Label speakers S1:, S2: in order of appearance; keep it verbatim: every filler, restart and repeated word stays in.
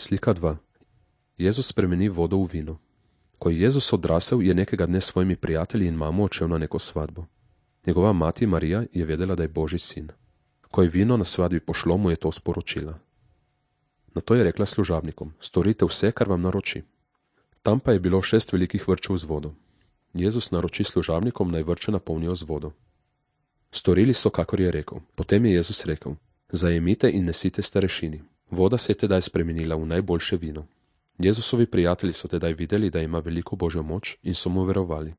S1: Slika dva. Jezus spremeni vodo v vino. Ko je Jezus odrasel, je nekega dne s svojimi prijatelji in mamo odšel na neko svadbo. Njegova mati Marija je vedela, da je Božji sin. Ko je vino na svadbi pošlo, mu je to sporočila. Nato je rekla služabnikom: storite vse, kar vam naroči. Tam pa je bilo šest velikih vrčev z vodo. Jezus naroči služabnikom, naj vrče napolnijo z vodo. Storili so, kakor je rekel. Potem je Jezus rekel: zajemite in nesite starešini. Voda se je tedaj spremenila v najboljše vino. Jezusovi prijatelji so tedaj videli, da ima veliko Božjo moč in so mu verovali.